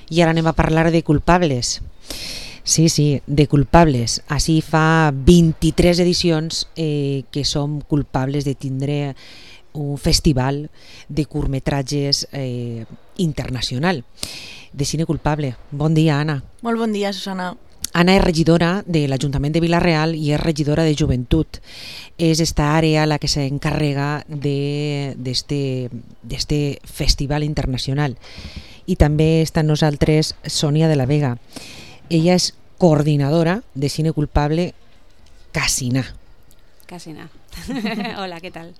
I ara anem a parlar de culpables. Sí, de culpables. Així fa 23 edicions que som culpables de tindre un festival de curtmetratges internacional de cine culpable. Bon dia, Anna. Molt bon dia, Susana. Anna és regidora de l'Ajuntament de Vila-real i és regidora de Joventut. És esta àrea la que s'encarrega d'este festival internacional. I també està amb nosaltres Sònia de la Vega. Ella és coordinadora de cine culpable Casina. Casina. Hola, ¿qué tal?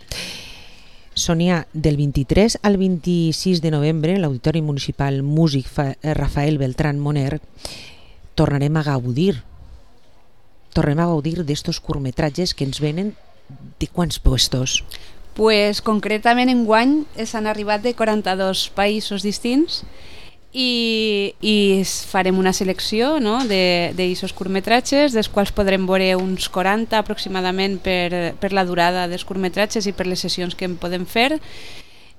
Sònia, del 23 al 26 de novembre, l'Auditori Municipal Músic Rafael Beltrán Moner, tornarem a gaudir d'estos curtmetratges que ens venen de quants puestos? Pues concretament enguany s'han arribat de 42 països distints i farem una selecció, no, d'aquests curtmetratges, dels quals podrem veure uns 40 aproximadament per la durada dels curtmetratges i per les sessions que en podem fer.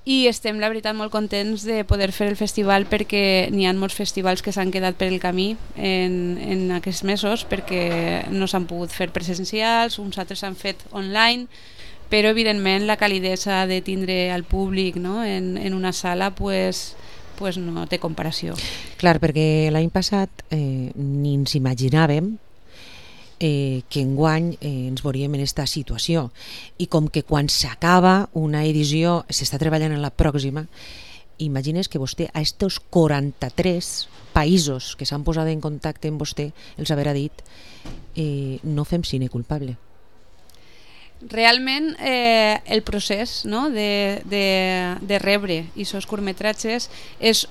I estem, la veritat, molt contents de poder fer el festival perquè n'hi ha molts festivals que s'han quedat per el camí en aquests mesos perquè no s'han pogut fer presencials, uns altres s'han fet online, però evidentment la calidesa de tindre al públic, no, en una sala pues no té comparació. Clar, perquè l'any passat ni ens imaginàvem que enguany ens veuríem en aquesta situació, i com que quan s'acaba una edició s'està treballant en la pròxima, imagines que vostè a estos 43 països que s'han posat en contacte amb vostè els haurà dit no fem cine culpable. Realment el procés, no, de rebre aquests curtmetratges és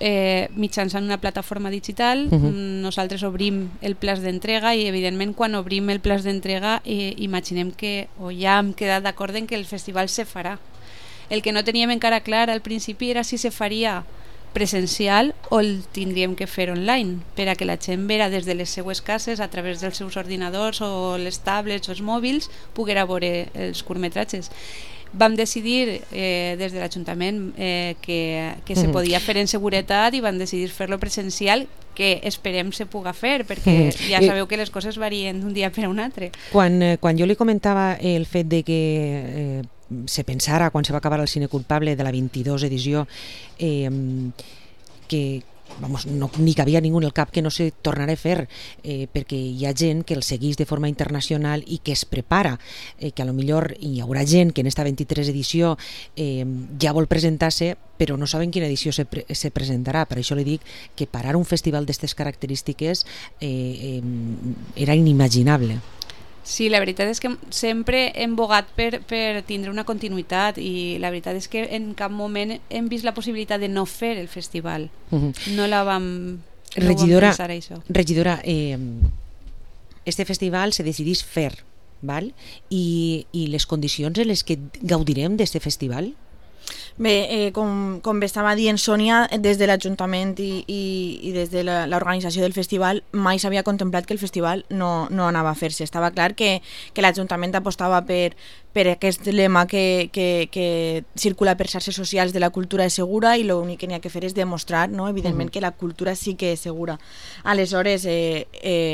mitjançant una plataforma digital. Nosaltres obrim el plaç d'entrega i evidentment quan obrim el plaç d'entrega imaginem que o ja hem quedat d'acord en que el festival se farà. El que no teníem encara clar al principi era si se faria presencial o el tindríem que fer online per a que la gent vera des de les seues cases a través dels seus ordinadors o les tablets o els mòbils poguera veure els curtmetratges. Vam decidir des de l'Ajuntament que se podia fer en seguretat i vam decidir fer-lo presencial, que esperem se puga fer perquè ja sabeu que les coses varien d'un dia per a un altre. Quan jo li comentava el fet de que se pensara, quan se va acabar el cine culpable de la 22 edició, que ni cabia ningú en el cap que no se tornarà a fer, perquè hi ha gent que el segueix de forma internacional i que es prepara, que a lo millor hi haurà gent que en esta 23 edició ja vol presentar-se però no saben quina edició se presentarà. Per això li dic que parar un festival d'aquestes característiques era inimaginable. Sí, la veritat és que sempre hem bogat per tindre una continuïtat i la veritat és que en cap moment hem vist la possibilitat de no fer el festival. No vam pensar això. Regidora, este festival se decidís fer, val? I les condicions en les que gaudirem d'este festival? Bé, com bé estava dient Sònia, des de l'Ajuntament i des de l'organització del festival mai s'havia contemplat que el festival no anava a fer-se. Estava clar que l'Ajuntament apostava per aquest lema que circula per xarxes socials de la cultura és segura i l'únic que n'hi ha que fer és demostrar, no, evidentment, que la cultura sí que és segura. Aleshores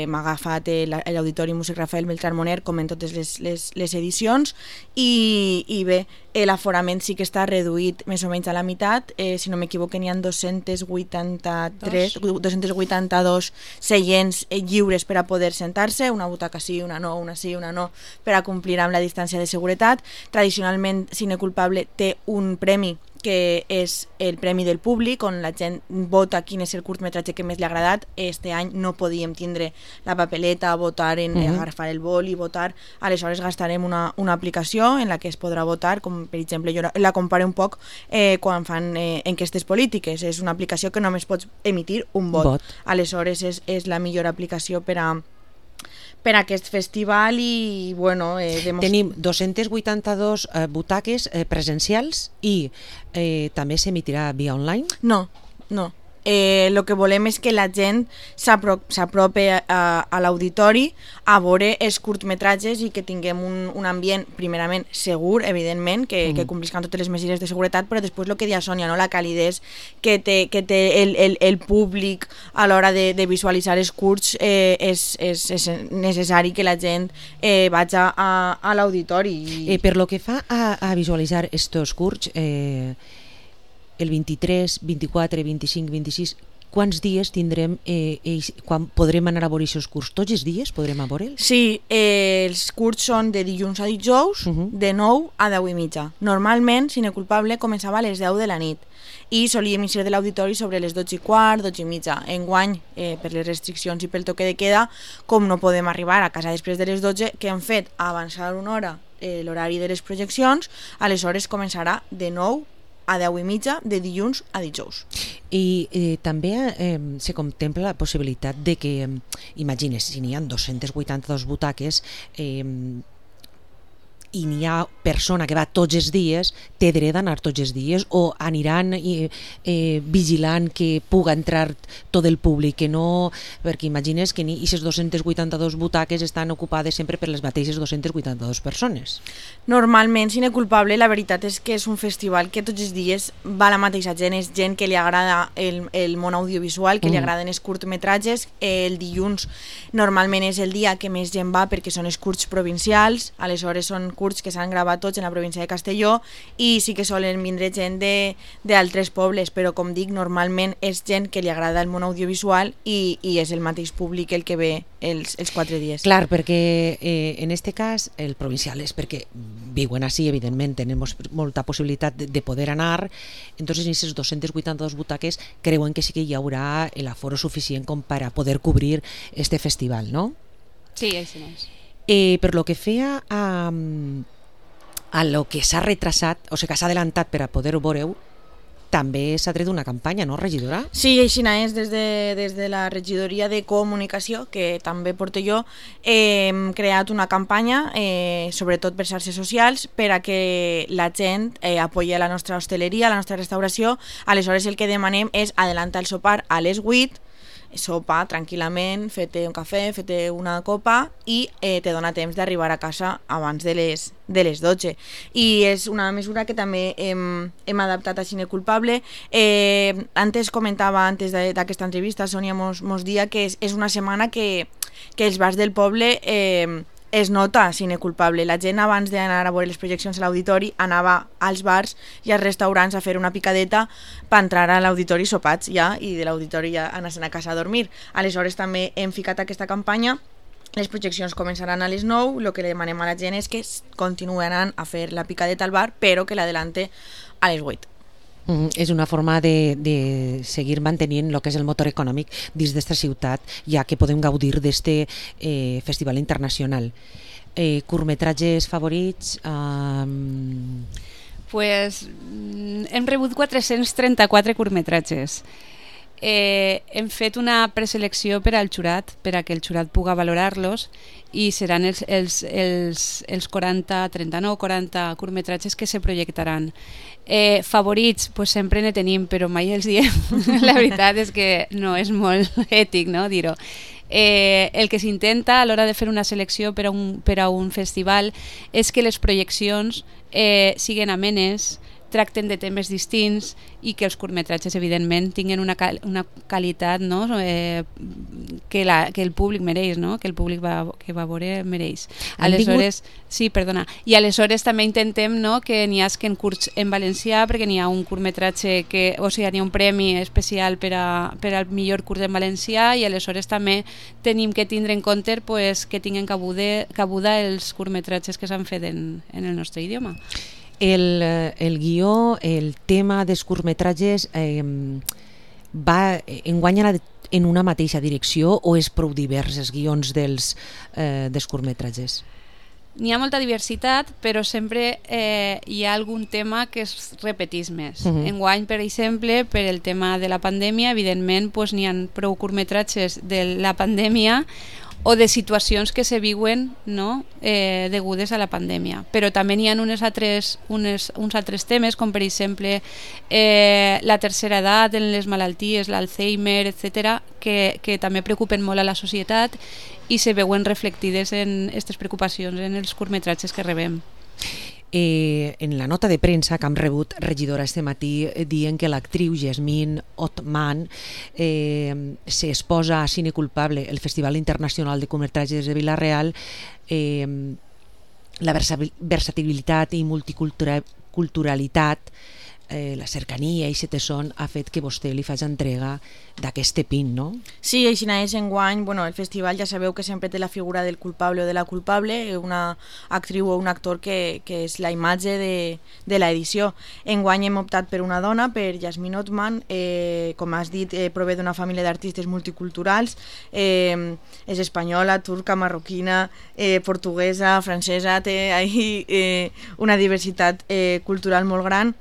m'ha agafat l'Auditori Músic Rafael Beltrán Moner com en totes les edicions i bé, l'aforament sí que està reduït més o menys a la meitat, si no m'equivoco n'hi ha 282 seients lliures per a poder sentar-se, una butaca sí, una no, una sí, una no, per a complir amb la distància de seguretat. Tradicionalment Cine Culpable té un premi que és el premi del públic, on la gent vota quin és el curtmetratge que més li ha agradat. Este any no podíem tindre la papeleta, votar, agafar el bol i votar, aleshores gastarem una aplicació en la que es podrà votar, com per exemple jo la comparo un poc quan fan enquestes polítiques, és una aplicació que només pots emitir un vot. Aleshores és la millor aplicació per a aquest festival i bueno... Tenim 282 butaques presencials i també s'emitirà via online? No. El que volem és que la gent s'apropi a l'auditori a veure els curtmetratges i que tinguem un ambient primerament segur, evidentment, que compliscan totes les mesures de seguretat, però després el que deia Sònia, no? La calidesa que té el públic a l'hora de visualitzar els curts és necessari que la gent vagi a l'auditori. Per lo que fa a visualitzar estos curts, el 23, 24, 25, 26, quants dies tindrem, quan podrem anar a veure aquests curts? Tots els dies podrem a veure'ls? Sí, els curts són de dilluns a dijous, de 9 a 10:30. Normalment, Cine Culpable començava a les 10 de la nit i solíem eixir de l'auditori sobre les 12:15, 12:30. Enguany, per les restriccions i pel toque de queda, com no podem arribar a casa després de les 12, que hem fet avançar una hora l'horari de les projeccions, aleshores començarà de 9 a 10:30 de dilluns a dijous. I també se contempla la possibilitat de que, imagines, si n'hi ha 282 butaques i n'hi ha persona que va tots els dies, té dret d'anar tots els dies o aniran vigilant que puga entrar tot el públic, que no, perquè imagines que aquestes 282 butaques estan ocupades sempre per les mateixes 282 persones. Normalment, Cine Culpable, la veritat és que és un festival que tots els dies va la mateixa gent, és gent que li agrada el món audiovisual, que li agraden els curtmetratges. El dilluns normalment és el dia que més gent va perquè són els curts provincials, aleshores són curts que s'han gravat tots en la província de Castelló i sí que solen vindre gent d'altres pobles, però com dic, normalment és gent que li agrada el món audiovisual i és el mateix públic el que ve els 4 dies. Clar, perquè en este cas el provincial és perquè viuen així, evidentment, tenem molta possibilitat de poder anar, entonces en aquestes 282 butaques creuen que sí que hi haurà l'aforo suficient com per a poder cobrir este festival, no? Sí, així és. Per lo que feia a lo que s'ha retrasat, o sigui que s'ha adelantat per a poder-ho veure, també s'ha tret una campanya, no, regidora? Sí, així és, des de la regidoria de comunicació, que també porto jo, hem creat una campanya, sobretot per xarxes socials, per a que la gent apoyi la nostra hostaleria, la nostra restauració. Aleshores el que demanem és adelantar el sopar a les 8, sopa tranquil·lament, fete un cafè, fete una copa i te dona temps d'arribar a casa abans de les 12. I és una mesura que també hem adaptat a Cine Culpable. Antes comentava, antes d'aquesta entrevista, Sònia mos dia que és una setmana que els bars del poble es nota Cine Culpable. La gent abans d'anar a veure les projeccions a l'auditori anava als bars i als restaurants a fer una picadeta per entrar a l'auditori sopats ja i de l'auditori ja anar-se'n a casa a dormir. Aleshores també hem ficat aquesta campanya. Les projeccions començaran a les 9, el que li demanem a la gent és que continuï anant a fer la picadeta al bar, però que l'adelante a les 8. És una forma de seguir mantenint el que és el motor econòmic dins d'esta ciutat, ja que podem gaudir d'este festival internacional. Curtmetratges favorits? Pues hem rebut 434 curtmetratges. Hem fet una preselecció per al jurat, per a que el jurat puga valorar-los, i seran els 39-40 curtmetratges que se projectaran. Favorits, pues sempre ne tenim, però mai els diem. La veritat és que no és molt ètic, no, dir-ho. El que s'intenta a l'hora de fer una selecció per a un festival és que les projeccions siguin amenes, tracten de temes distints i que els curtmetratges evidentment tinguin una qualitat, no? Que el públic mereix, no? Que el públic que va veure mereix. Aleshores, sí, perdona. I aleshores també intentem, no, que n'hi hagi curts en valencià, perquè n'hi ha un curtmetratge o sigui, n'hi ha un premi especial per al millor curt en valencià, i aleshores també tenim que tindre en compte pues, que tinguin cabuda els curtmetratges que s'han fet en el nostre idioma. El guió, el tema dels curtmetratges va enguanya en una mateixa direcció o és prou divers els guions dels curtmetratges? N'hi ha molta diversitat, però sempre hi ha algun tema que es repeteix més. Enguany, per exemple, per el tema de la pandèmia, evidentment n'hi ha prou curtmetratges de la pandèmia o de situacions que se viuen, no, degudes a la pandèmia. Però també n'hi ha uns altres temes, com per exemple la tercera edat, les malalties, l'Alzheimer, etc., que també preocupen molt a la societat i se veuen reflectides en aquestes preocupacions en els curtmetratges que rebem. En la nota de premsa que hem rebut, regidora, este matí, dient que l'actriu Yasmine Othman s'exposa a cine culpable el Festival Internacional de Curtmetratges de Vila-real, la versatilitat i multiculturalitat, la cercania i setesson ha fet que vostè li faci entrega d'aquest pin, no? Sí, així és enguany. El festival ja sabeu que sempre té la figura del culpable o de la culpable, una actriu o un actor que és la imatge de l'edició. Enguany hem optat per una dona, per Yasmine Othman, com has dit, prové d'una família d'artistes multiculturals, és espanyola, turca, marroquina, portuguesa, francesa, té una diversitat cultural molt gran.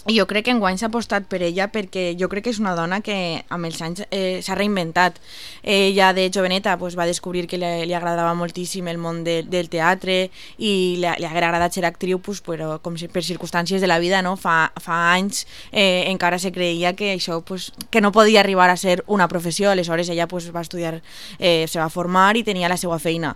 I jo crec que enguany s'ha apostat per ella perquè jo crec que és una dona que amb els anys s'ha reinventat. Ella de joveneta va descobrir que li agradava moltíssim el món del teatre i li ha agradat ser actriu, però com per circumstàncies de la vida, no? Fa anys encara se creia que això que no podia arribar a ser una professió. Aleshores ella va estudiar, se va formar i tenia la seva feina.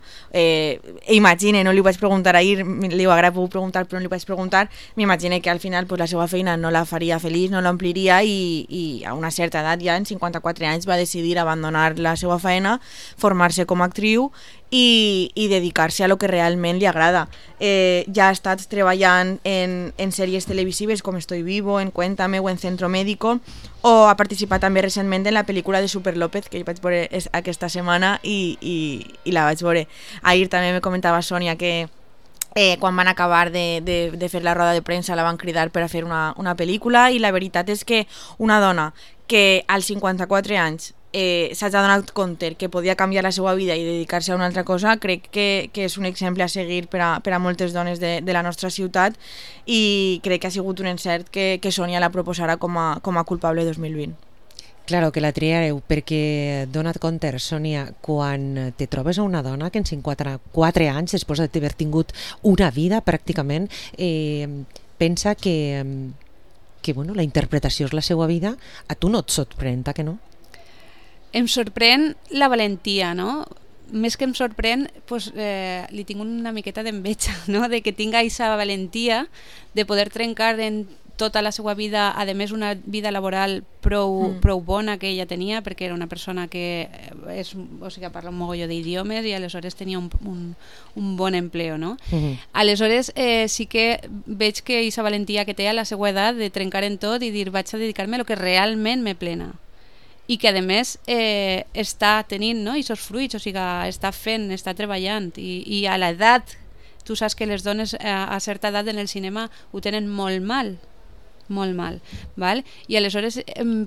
Imagine, no li vaig preguntar ahir, li ho haguera pogut preguntar però no li vaig preguntar, m'imagine que al final la seva feina no la faria feliç, no l'ompliria i a una certa edat, ja en 54 anys, va decidir abandonar la seva feina, formar-se com a actriu i dedicar-se a lo que realment li agrada. Ja ha estat treballant en sèries televisives com Estoy Vivo, en Cuéntame o en Centro Médico, o ha participat també recentment en la pel·lícula de Super López, que jo vaig veure aquesta setmana i la vaig veure. Ahir també me comentava Sònia que quan van acabar de fer la roda de premsa la van cridar per a fer una pel·lícula, i la veritat és que una dona que als 54 anys s'ha donat compte que podia canviar la seva vida i dedicar-se a una altra cosa, crec que és un exemple a seguir per a moltes dones de la nostra ciutat, i crec que ha sigut un encert que Sònia la proposarà com a culpable 2020. Claro, que la triareu, perquè dona't compte, Sònia, quan te trobes a una dona que en 54 anys, després d'haver tingut una vida pràcticament, pensa que la interpretació és la seva vida, a tu no et sorprèn, que no? Em sorprèn la valentia, no? Més que em sorprèn, li tinc una miqueta d'enveja, no? De que tinga aquesta valentia de poder trencar en tota la seva vida, a més una vida laboral prou bona que ella tenia, perquè era una persona que parla un mogolló d'idiomes i aleshores tenia un bon empleo, no? Aleshores sí que veig que aquesta valentia que té a la seva edat de trencar en tot i dir vaig a dedicar-me a lo que realment me plena, i que a més està tenint, no, aquests fruits, està fent, està treballant, i a l'edat, tu saps que les dones a certa edat en el cinema ho tenen molt mal, val? I aleshores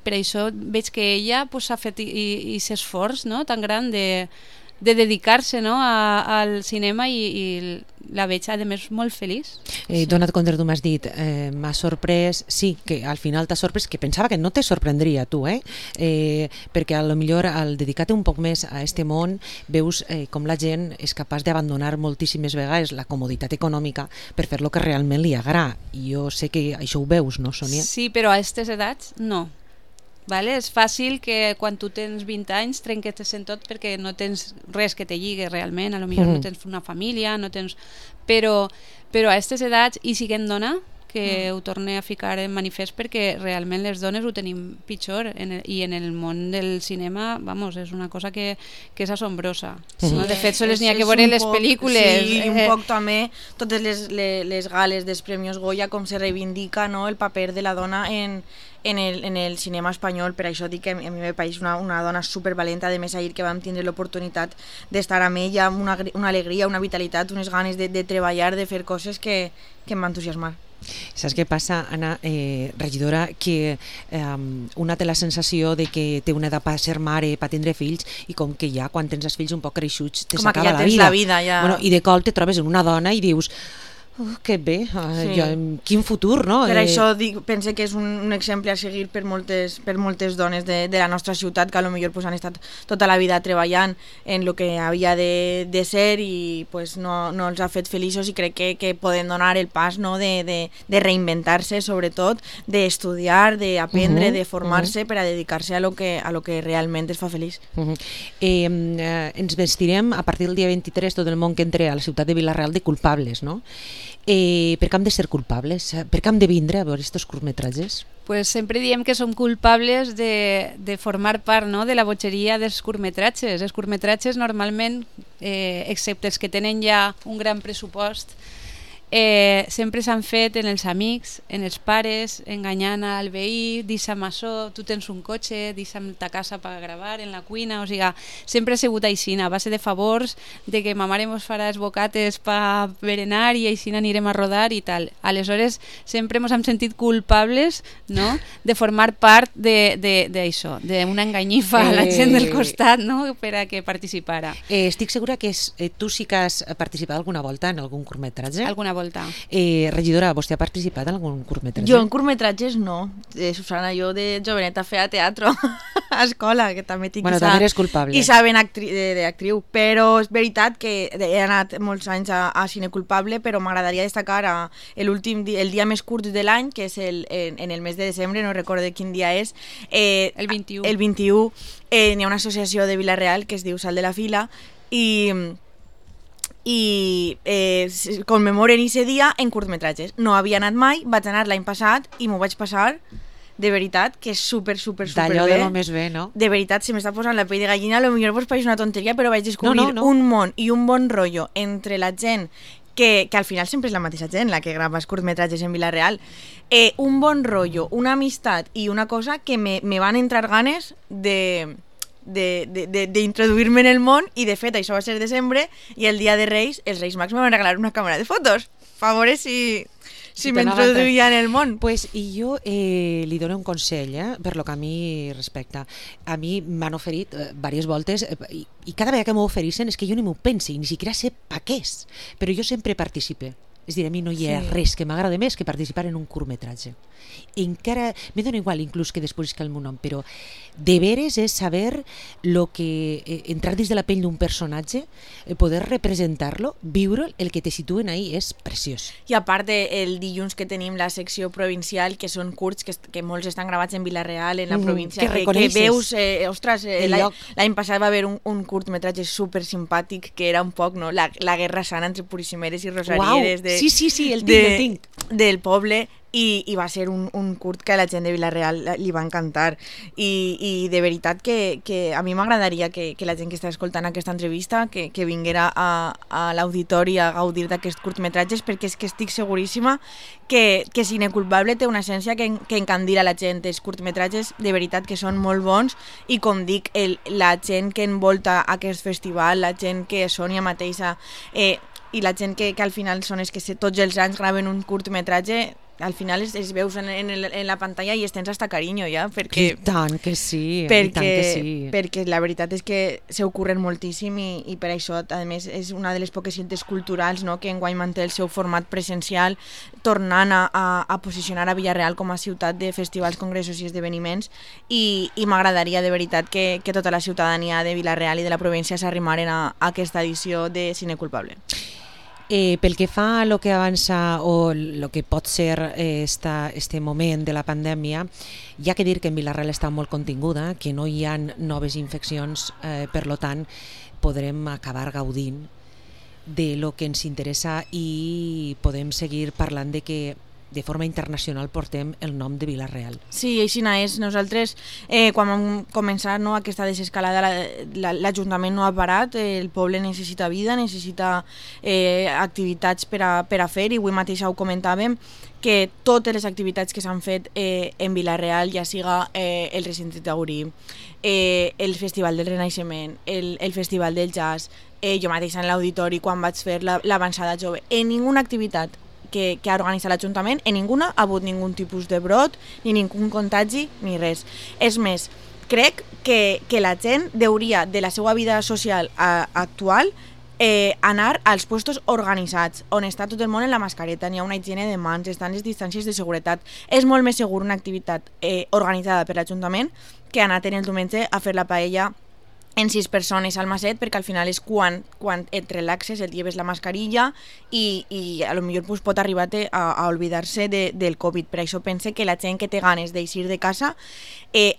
per això veig que ella s'ha fet aquest esforç, no, tan gran de dedicar-se, no, al cinema, i la veig a més molt feliç. Dona't compte, tu m'has dit m'ha sorprès, sí, que al final t'ha sorprès, que pensava que no te sorprendria tu, perquè a lo millor al dedicar-te un poc més a este món veus com la gent és capaç d'abandonar moltíssimes vegades la comoditat econòmica per fer lo que realment li agrada, i jo sé que això ho veus, no, Sònia? Sí, però a aquestes edats no. Vale? És fàcil que quan tu tens 20 anys trenques en tot perquè no tens res que te lligue realment, a lo millor no tens una família, no tens... però a aquestes edats, i siguent dona, que ho torne a ficar en manifest, perquè realment les dones ho tenim pitjor, i en el món del cinema, vamos, és una cosa que és assombrosa. No? De fet, sols n'hi ha que veure les pel·lícules. Sí, i un poc també totes les gales dels Premis Goya, com se reivindica, no, el paper de la dona en el cinema espanyol. Per això dic que a mi me pareix una dona supervalenta. A més, ahir que vam tindre l'oportunitat d'estar amb ella, una alegria, una vitalitat, unes ganes de treballar, de fer coses que em va entusiasmar. Saps què passa, Anna, regidora, que una té la sensació de que té una edat per ser mare, per tindre fills, i com que ja quan tens els fills un poc creixuts te s'acaba la vida. Com que ja tens la vida, ja. Bueno, i de cop te trobes en una dona i dius que bé, quin futur, no? Per això pense que és un exemple a seguir per moltes dones de la nostra ciutat, que potser han estat tota la vida treballant en el que havia de ser i no els ha fet feliços, i crec que poden donar el pas, no, de reinventar-se, sobretot, d'estudiar, d'aprendre, de formar-se per a dedicar-se a lo que realment es fa feliç. Ens vestirem a partir del dia 23 tot el món que entre a la ciutat de Vila-real de culpables, no? Per què hem de ser culpables? Per què hem de vindre a veure aquests curtmetratges? Pues sempre diem que som culpables de formar part, no?, de la botxeria dels curtmetratges. Els curtmetratges normalment, excepte els que tenen ja un gran pressupost, sempre s'han fet en els amics, en els pares, enganyant al veí, deixa'm això, tu tens un cotxe, deixa'm ta casa per gravar, en la cuina, o sigui, sempre ha sigut així, a base de favors, de que ma mare mos farà els bocates per berenar i així anirem a rodar i tal. Aleshores, sempre mos hem sentit culpables, no?, de formar part d'això, d'una enganyifa a la gent del costat, no?, per a que participara. Estic segura que tu sí que has participat alguna volta en algun curtmetratge? Alguna volta. Regidora, vostè ha participat en algun curtmetratge? Jo en curtmetratges no. Susana, jo de joveneta feia teatre a escola, que també tinc també eres culpable. i saben d'actriu, però és veritat que he anat molts anys a cine culpable, però m'agradaria destacar el dia més curt de l'any, que és en el mes de desembre, no recordo quin dia és. El 21. El 21 n'hi ha una associació de Vila-real que es diu Sal de la Fila i commemoren aquest dia en curtmetratges. No havia anat mai, vaig anar l'any passat i m'ho vaig passar de veritat, que és super bé. D'allò de lo més bé, no? De veritat, se m'està posant la pell de gallina, potser vos pareix una tonteria, però vaig descobrir un món i un bon rotllo entre la gent que al final sempre és la mateixa gent la que grava els curtmetratges en Vila-real, un bon rotllo, una amistat i una cosa que me van entrar ganes d'introduir-me en el món, i de fet això va ser desembre, i el dia de Reis els Reis Mags me van regalar una càmera de fotos a veure si m'introduïa en el món. Pues, i jo li dono un consell, per lo que a mi respecta. A mi m'han oferit diverses voltes i cada vegada que m'ho ofereixen és que jo ni m'ho pensi, ni siquiera sé pa què és, però jo sempre participe. És dir, a mi no hi ha res que m'agrada més que participar en un curtmetratge. Encara, me dona igual inclús que després que el meu nom, però de veres és saber lo que, entrar dins de la pell d'un personatge, poder representar-lo, viure el que te situen ahí, és preciós. I a part el dilluns que tenim la secció provincial, que són curts, que molts estan gravats en Vila-real, en la província, que veus, ostres, l'any passat va haver un curtmetratge super simpàtic que era un poc, no, la guerra sana entre purissimeres i rosarieres el tinc. Del poble, i va ser un curt que a la gent de Vila-real li va encantar, i de veritat que a mi m'agradaria que la gent que està escoltant aquesta entrevista que vinguera a l'auditori a gaudir d'aquests curtmetratges, perquè és que estic seguríssima que Cine Culpable té una essència que encandila la gent. Els curtmetratges de veritat que són molt bons, i com dic, la gent que envolta aquest festival, la gent que Sònia mateixa i la gent que al final són els que tots els anys graven un curtmetratge, al final els veus en la pantalla i es tens hasta carinyo ja, perquè... I tant que sí, perquè la veritat és que se ocorren moltíssim, i per això, a més, és una de les poques cites culturals, no?, que enguany manté el seu format presencial, tornant a posicionar a Vila-real com a ciutat de festivals, congressos i esdeveniments, i m'agradaria de veritat que tota la ciutadania de Vila-real i de la província s'arrimaren a aquesta edició de Cine Culpable. Pel que fa a lo que avança o lo que pot ser este moment de la pandèmia, hi ha que dir que en Vila-real està molt continguda, que no hi ha noves infeccions, per lo tant podrem acabar gaudint de lo que ens interessa i podem seguir parlant de que de forma internacional portem el nom de Vila-real. Sí, així és. Nosaltres, quan vam començar aquesta desescalada, l'Ajuntament no ha parat, el poble necessita vida, necessita activitats per a fer, i avui mateix ho comentàvem, que totes les activitats que s'han fet en Vila-real, ja siga el recinte taurí, el Festival del Renaixement, el Festival del Jazz, jo mateixa en l'auditori quan vaig fer l'avançada jove, en ninguna activitat que ha organitzat l'Ajuntament, en ninguna ha hagut ningú tipus de brot, ni ningú contagi, ni res. És més, crec que la gent hauria, de la seva vida social actual, anar als puestos organitzats, on està tot el món en la mascareta, n'hi ha una higiene de mans, estan les distàncies de seguretat. És molt més segur una activitat organitzada per l'Ajuntament que anar el diumenge a fer la paella en 6 persones al maset, perquè al final és quan et relaxes, et lleves la mascarilla i a lo millor pot arribar a oblidar-se del Covid. Per això pense que la gent que té ganes d'eixir de casa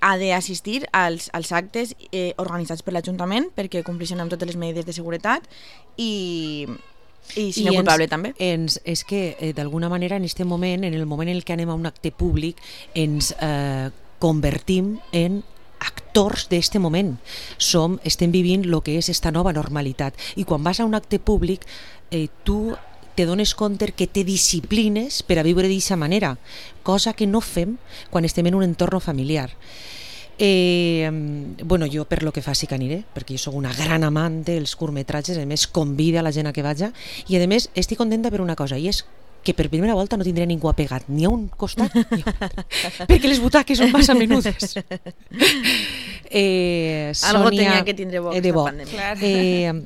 ha d'assistir als actes organitzats per l'Ajuntament, perquè compleixen amb totes les medides de seguretat, i I cine culpable també. És que d'alguna manera en aquest moment, en el moment en què anem a un acte públic, ens convertim en actors d'este moment. Estem vivint el que és esta nova normalitat. I quan vas a un acte públic, tu te dones compte que te disciplines per a viure d'aquesta manera, cosa que no fem quan estem en un entorn familiar. Bueno, jo per lo que fa sí que aniré, perquè jo soc una gran amant dels curtmetratges, a més convida a la gent a que vaja, i a més estic contenta per una cosa, i és que per primera volta no tindré ningú apegat ni a un costat ni a un altre, perquè les butaques són massa menudes. Algo tenia que tindre bo aquesta pandèmia.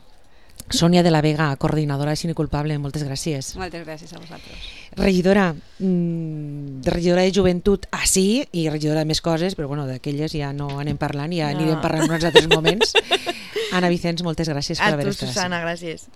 Sònia de la Vega, coordinadora de Cine Culpable, moltes gràcies. Moltes gràcies a vosaltres. Regidora de Joventut, sí, i regidora de més coses, però bueno, d'aquelles ja no anem parlant, ja anirem parlant en uns altres moments. Anna Vicens, moltes gràcies per haver estat. A tu, Susana, gràcies.